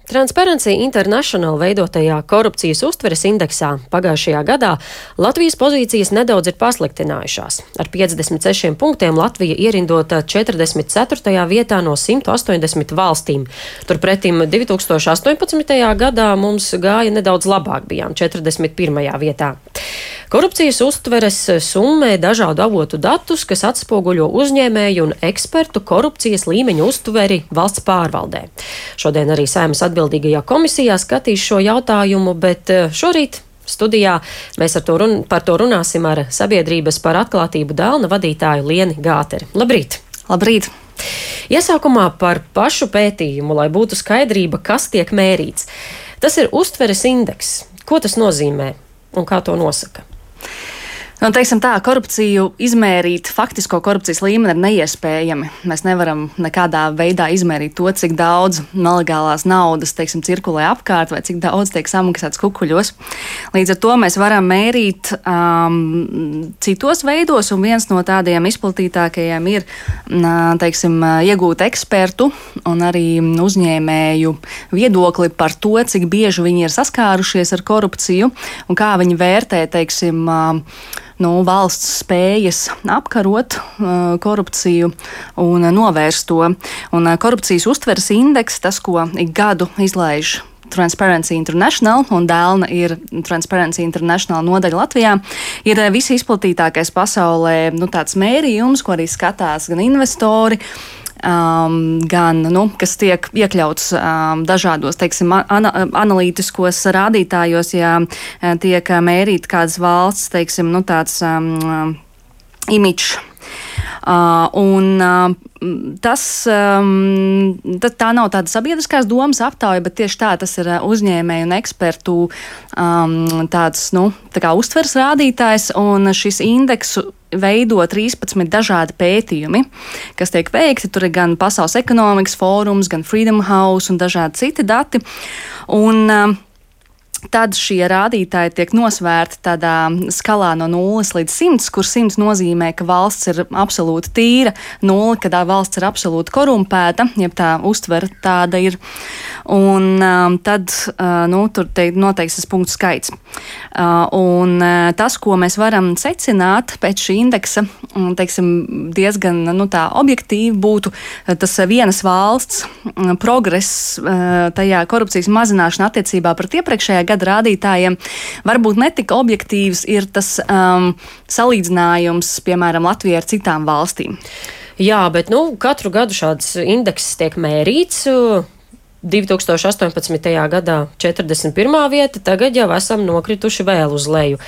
Transparency International veidotajā korupcijas uztveres indeksā pagājušajā gadā Latvijas pozīcijas nedaudz ir pasliktinājušās. Ar 56 punktiem Latvija ierindota 44. vietā no 180 valstīm. Turpretim 2018. gadā mums gāja nedaudz labāk, bijām 41. vietā. Korupcijas uztveres summē dažādu avotu datus, kas atspoguļo uzņēmēju un ekspertu korupcijas līmeņu uztveri valsts pārvaldē. Šodien arī Saeimas atbildīgajā komisijā skatīs šo jautājumu, bet šorīt studijā mēs par to runāsim ar Sabiedrības par atklātību Dēlna vadītāju Lieni Gāteri. Labrīt! Labrīt! Iesākumā par pašu pētījumu, lai būtu skaidrība, kas tiek mērīts. Tas ir uztveres indeks. Ko tas nozīmē un kā to nosaka? Nu, teiksim tā, korupciju izmērīt, faktisko korupcijas līmeni ir neiespējami. Mēs nevaram nekādā veidā izmērīt to, cik daudz nelegālās naudas, teiksim, cirkulē apkārt vai cik daudz tiek samaksāts kukuļos. Līdz ar to mēs varam mērīt citos veidos, un viens no tādiem izplatītākajiem ir, teiksim, iegūt ekspertu un arī uzņēmēju viedokli par to, cik bieži viņi ir saskārušies ar korupciju un kā viņi vērtē, teiksim, valsts spējas apkarot korupciju un novērst to. Un korupcijas uztveres indeks, tas, ko ik gadu izlaiž Transparency International, un Dēlna ir Transparency International nodaļa Latvijā, ir visizplatītākais pasaulē tāds mērījums, ko arī skatās gan investori, gan, kas tiek iekļauts dažādos, teiksim, analītiskos rādītājos, ja tiek mērīt kādas valsts, teiksim, tāds imidžs. Tā nav tāda sabiedriskās domas aptauja, bet tieši tas ir uzņēmēju un ekspertu tāds, tā kā uztveres rādītājs, un šis indeksu veido 13 dažādi pētījumi, kas tiek veikti. Tur ir gan Pasaules ekonomikas fórums, gan Freedom House un dažādi citi dati. Un tad šie rādītāji tiek nosvērti tādā skalā no 0 līdz 100, kur 100 nozīmē, ka valsts ir absolūti tīra, 0, kad valsts ir absolūti korumpēta, jeb tā uztvere tāda ir. Un tad tur noteikts tas punktu skaits. Un tas, ko mēs varam secināt pēc šī indeksa, teiksim, diezgan tā objektīvi būtu tas vienas valsts progress tajā korupcijas mazināšana attiecībā pret iepriekšējā gada rādītājiem. Varbūt netika objektīvs ir tas salīdzinājums, piemēram, Latvijai ar citām valstīm. Jā, bet katru gadu šāds indeks tiek mērīts. 2018. gadā 41. vieta, tagad jau esam nokrituši vēl uz leju.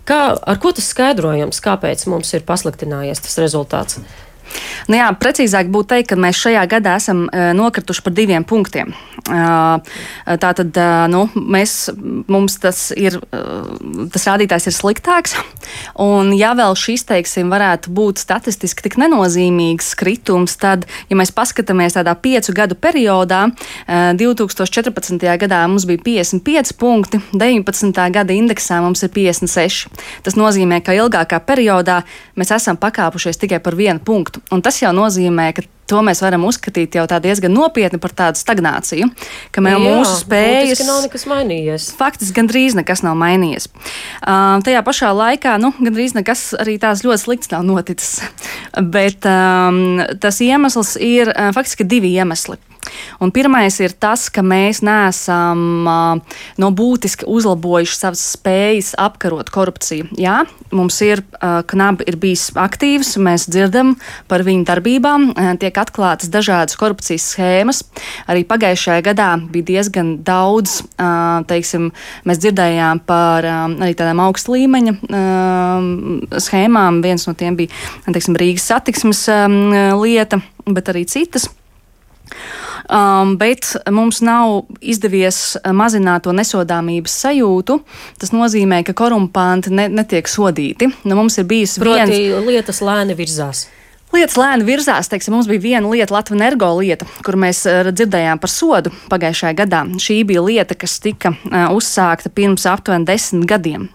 Ar ko tas skaidrojams? Kāpēc mums ir pasliktinājies tas rezultāts? Precīzāk būtu teikt, ka mēs šajā gadā esam nokrituši par 2 punktiem. Tātad mums tas rādītājs ir sliktāks, un ja vēl šis, teiksim, varētu būt statistiski tik nenozīmīgs kritums, tad, ja mēs paskatāmies tādā 5 gadu periodā, 2014. gadā mums bija 55 punkti, 19. gada indeksā mums ir 56. Tas nozīmē, ka ilgākā periodā mēs esam pakāpušies tikai par 1 punktu. Un tas jau nozīmē, ka to mēs varam uzskatīt jau tā diezgan nopietni par tādu stagnāciju, ka mūsu spējas... Faktiski nav nekas mainījies. Faktiski gandrīz nekas nav mainījies. Tajā pašā laikā, gandrīz nekas arī tās ļoti slikts nav noticis. Bet tas iemesls ir faktiski 2 iemesli. Un pirmais ir tas, ka mēs neesam būtiski uzlabojuši savas spējas apkarot korupciju. Jā, mums ir KNAB ir bijis aktīvs, mēs dzirdam par viņu darbībām, tiek atklātas dažādas korupcijas schēmas. Arī pagājušajā gadā bija diezgan daudz, teiksim, mēs dzirdējām par arī tādām augsta līmeņa schēmām. Viens no tiem bija, teiksim, Rīgas satiksmes lieta, bet arī citas. Bet mums nav izdevies mazināt to nesodāmības sajūtu. Tas nozīmē, ka korumpanti netiek sodīti. Mums ir bijis lietas lēni virzās. Lietas lēni virzās, teiksim, mums bija viena lieta, Latvenergo lieta, kur mēs dzirdējām par sodu pagājušajā gadā. Šī bija lieta, kas tika uzsākta pirms aptuveni 10 gadiem.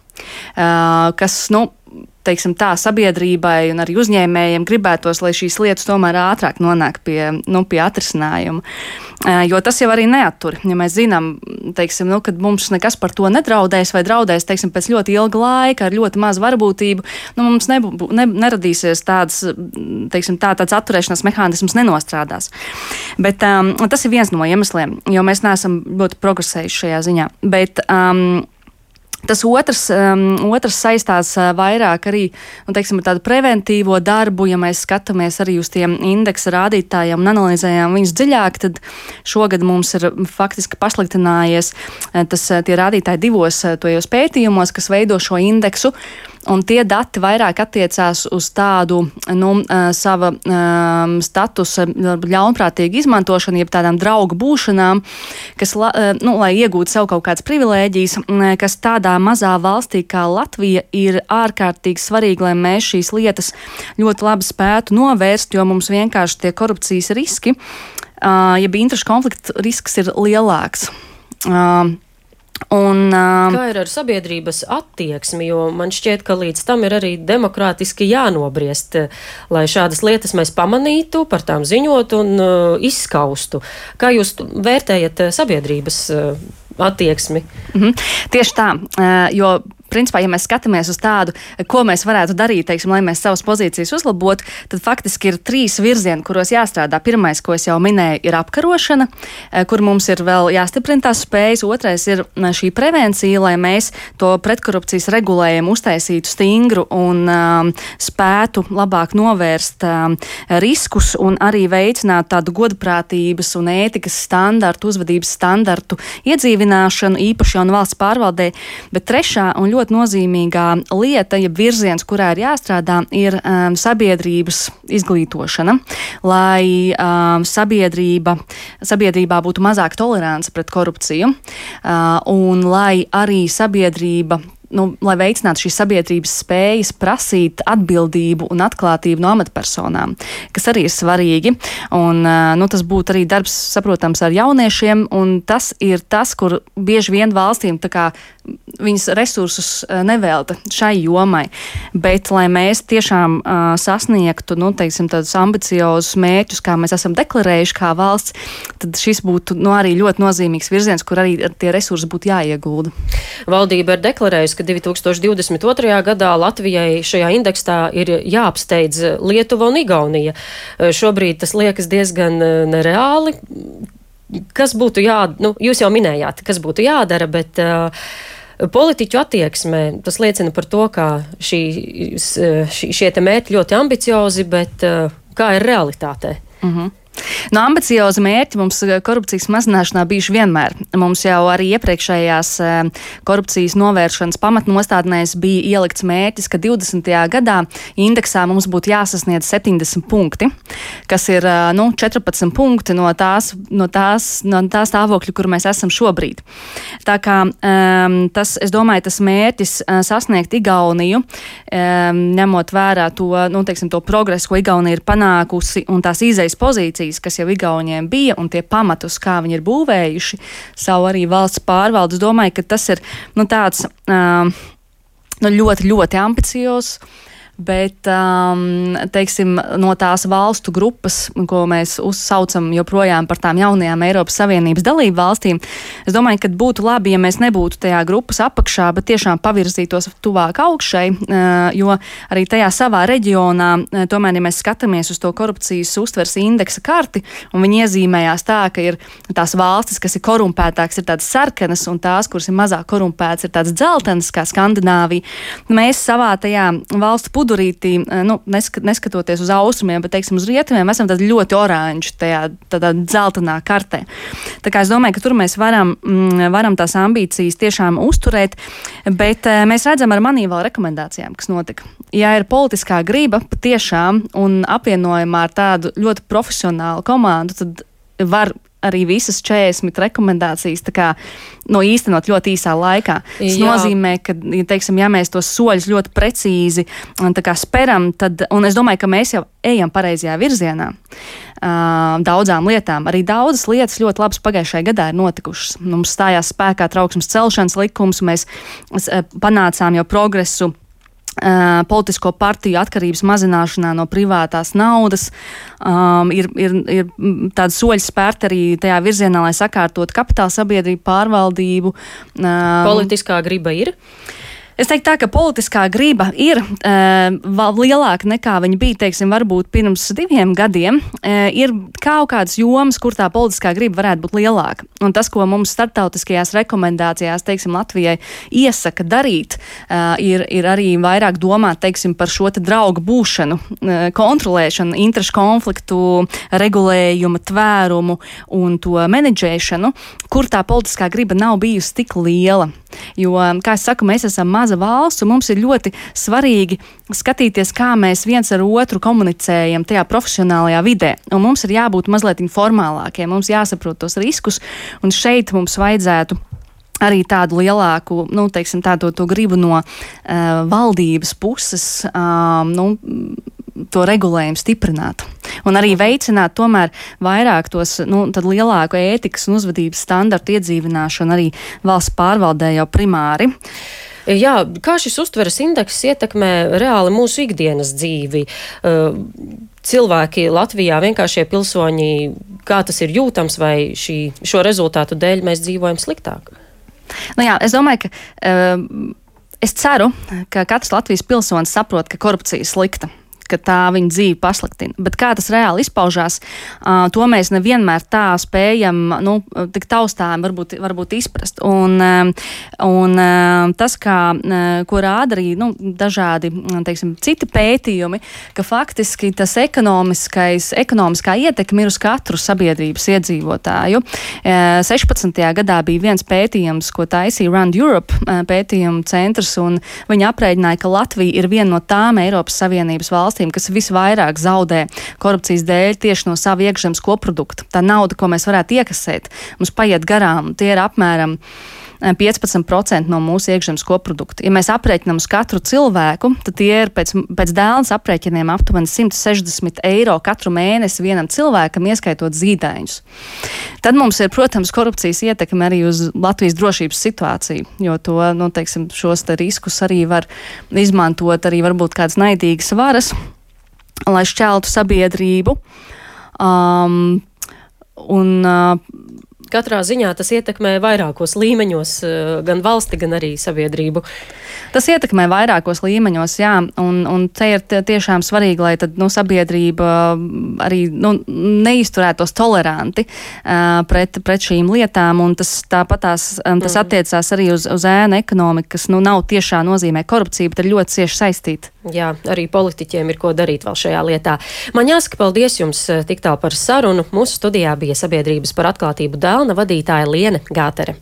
Kas, teiksim tā, sabiedrībai un arī uzņēmējiem gribētos, lai šīs lietas tomēr ātrāk nonāk pie atrisinājuma. Jo tas jau arī neattur. Ja mēs zinām, teiksim, kad mums nekas par to nedraudēs vai draudēs, teiksim, pēc ļoti ilga laika ar ļoti mazu varbūtību, mums neradīsies tāds atturēšanās mehānisms nenostrādās. Bet tas ir viens no iemesliem, jo mēs neesam ļoti progresējuši šajā ziņā. Bet tas otrs saistās vairāk arī ar tādu preventīvo darbu. Ja mēs skatāmies arī uz tiem indeksa rādītājiem un analizējam viņus dziļāk, tad šogad mums ir faktiski pasliktinājies tie rādītāji divos tojos pētījumos, kas veido šo indeksu. Un tie dati vairāk attiecās uz tādu sava statusa ļaunprātīgu izmantošanu, jeb tādām draugu būšanām, kas, lai iegūtu sev kaut kādas privilēģijas, kas tādā mazā valstī kā Latvija ir ārkārtīgi svarīgi, lai mēs šīs lietas ļoti labi spētu novērst, jo mums vienkārši tie korupcijas riski, jeb interešu konflikta risks ir lielāks. Kā ir ar sabiedrības attieksmi, jo man šķiet, ka līdz tam ir arī demokrātiski jānobriest, lai šādas lietas mēs pamanītu, par tām ziņot un izskaustu. Kā jūs vērtējat sabiedrības attieksmi? Tieši tā, jo principā, ja mēs skatāmies uz tādu, ko mēs varētu darīt, teiksim, lai mēs savas pozīcijas uzlabotu, tad faktiski ir 3 virzieni, kuros jāstrādā. Pirmais, ko es jau minēju, ir apkarošana, kur mums ir vēl jāstiprina tās spējas. Otrais ir šī prevencija, lai mēs to pretkorupcijas regulējumu uztaisītu stingru un spētu labāk novērst riskus un arī veicināt tādu godprātības un ētikas standartu, uzvedības standartu iedzīvināšanu, īpaši jau valsts pārvaldē. Bet trešā un ļoti nozīmīgā lieta, ja virziens, kurā ir jāstrādā, ir sabiedrības izglītošana, lai sabiedrībā būtu mazāk tolerance pret korupciju un lai arī sabiedrība, lai veicinātu šīs sabiedrības spējas prasīt atbildību un atklātību no amatpersonām, kas arī ir svarīgi. Un, tas būtu arī darbs, saprotams, ar jauniešiem, un tas ir tas, kur bieži vien valstīm viņas resursus nevelta šai jomai. Bet, lai mēs tiešām sasniegtu, tādus ambiciozus mērķus, kā mēs esam deklarējuši kā valsts, tad šis būtu arī ļoti nozīmīgs virziens, kur arī tie resursi būtu jāiegulda. Valdība ir deklarējusi, ka 2022. gadā Latvijai šajā indeksā ir jāapsteidz Lietuva un Igaunija. Šobrīd tas liekas diezgan nereāli. Kas būtu jūs jau minējāt, kas būtu jādara, bet politiķu attieksmē tas liecina par to, ka šie te mērķi ļoti ambiciozi, bet kā ir realitātē? Ambiciozi mērķi mums korupcijas mazināšanā bijuši vienmēr. Mums jau arī iepriekšējās korupcijas novēršanas pamatnostādnēs bija ielikts mērķis, ka 20. gadā indeksā mums būtu jāsasniedz 70 punkti, kas ir 14 punkti no tā stāvokļa, kur mēs esam šobrīd. Tā kā es domāju, tas mērķis sasniegt Igauniju, ņemot vērā to progresu, ko Igaunija ir panākusi un tās izejas pozīcijas, kas jau Igauniem bija, un tie pamatus, kā viņi ir būvējuši savu arī valsts pārvaldes. Domāju, ka tas ir tāds ļoti, ļoti ambiciozs, bet, no tās valstu grupas, ko mēs uzsaucam joprojām par tām jaunajām Eiropas Savienības dalību valstīm, es domāju, ka būtu labi, ja mēs nebūtu tajā grupas apakšā, bet tiešām pavirzītos tuvāk augšai, jo arī tajā savā reģionā, tomēr, ja mēs skatāmies uz to korupcijas uztveres indeksa karti, un viņi iezīmējās tā, ka ir tās valstis, kas ir korumpētākas, ir tādas sarkanas, un tās, kuras ir mazāk korumpētas, ir tādas dzeltenas, kā Skandināvija. Mēs savā tajā valstu pudurītī, neskatoties uz austrumiem, bet, teiksim, uz rietumiem, esam tad ļoti oranži tādā dzeltenā kartē. Tā kā es domāju, ka tur mēs varam tās ambīcijas tiešām uzturēt, bet mēs redzam ar manīvu rekomendācijām, kas notika. Ja ir politiskā griba patiešām un apvienojumā ar tādu ļoti profesionālu komandu, tad var arī visas 40 rekomendācijas īstenot ļoti īsā laikā. Tas nozīmē, ka, ja mēs tos soļus ļoti precīzi speram, un es domāju, ka mēs jau ejam pareizajā virzienā daudzām lietām. Arī daudzas lietas ļoti labas pagājušajā gadā ir notikušas. Mums stājās spēkā trauksmes celšanas likums, mēs panācām jau progresu politisko partiju atkarības mazināšanā no privātās naudas. Ir tādi soļi spērti arī tajā virzienā, lai sakārtotu kapitāla sabiedrību pārvaldību. Politiskā griba ir? Es teiktu tā, ka politiskā griba ir vēl lielāka nekā viņa bija, teiksim, varbūt pirms 2 gadiem. Ir kaut kādas jomas, kur tā politiskā griba varētu būt lielāka. Un tas, ko mums starptautiskajās rekomendācijās, teiksim, Latvijai iesaka darīt, ir arī vairāk domāt, teiksim, par šo te draugu būšanu, kontrolēšanu, interešu konfliktu, regulējumu, tvērumu un to menedžēšanu, kur tā politiskā griba nav bijusi tik liela. Jo, kā es saku, mēs esam maza valsts, un mums ir ļoti svarīgi skatīties, kā mēs viens ar otru komunicējam tajā profesionālajā vidē. Un mums ir jābūt mazliet formālākiem, mums jāsaprot tos riskus, un šeit mums vajadzētu arī tādu lielāku, teiksim, tādu to gribu no valdības puses, to regulējumu stiprināt. Un arī veicināt tomēr vairāk tos, tad lielāku ētikas un uzvedības standartu iedzīvināšanu arī valsts pārvaldē jau primāri. Jā, kā šis uztveres indeks ietekmē reāli mūsu ikdienas dzīvi? Cilvēki Latvijā, vienkāršie pilsoņi, kā tas ir jūtams, vai šo rezultātu dēļ mēs dzīvojam sliktāk? Jā, es domāju, ka es ceru, ka katrs Latvijas pilsonis saprot, ka korupcija ir slikta, ka tā viņa dzīvi pasliktina. Bet kā tas reāli izpaužās, to mēs nevienmēr tā spējam, tik taustām varbūt izprast. Un tas, ko rāda arī dažādi, teiksim, citi pētījumi, ka faktiski tas ekonomiskā ietekme ir uz katru sabiedrības iedzīvotāju. 16. gadā bija viens pētījums, ko taisīja Rand Europe pētījumu centrs, un viņi aprēķināja, ka Latvija ir viena no tām Eiropas Savienības valstīm, kas visvairāk zaudē korupcijas dēļ tieši no sava iekšzemes koprodukta. Tā nauda, ko mēs varētu iekasēt, mums paiet garām, tie ir apmēram 15% no mūsu iekšzemes koprodukta. Ja mēs aprēķinām uz katru cilvēku, tad tie ir pēc dēlnes aprēķiniem aptuveni 160 eiro katru mēnesi vienam cilvēkam, ieskaitot zīdaiņus. Tad mums ir, protams, korupcijas ietekme arī uz Latvijas drošības situāciju, jo to, teiksim, šos te riskus arī var izmantot arī varbūt kādas naidīgas varas, lai šķeltu sabiedrību. Katrā ziņā tas ietekmē vairākos līmeņos, gan valsti, gan arī sabiedrību. Tas ietekmē vairākos līmeņos, jā, un te ir tiešām svarīgi, lai tad, sabiedrība arī, neizturētos toleranti pret šīm lietām, un tas attiecās arī uz ēnu ekonomiku, kas, nav tiešā nozīmē korupcija, bet ir ļoti cieši saistīta. Jā, arī politiķiem ir ko darīt vēl šajā lietā. Man jāsaka paldies jums tik tālu par sarunu. Mūsu studijā bija Sabiedrības par atklātību Dēlna vadītāja Liene Gātere.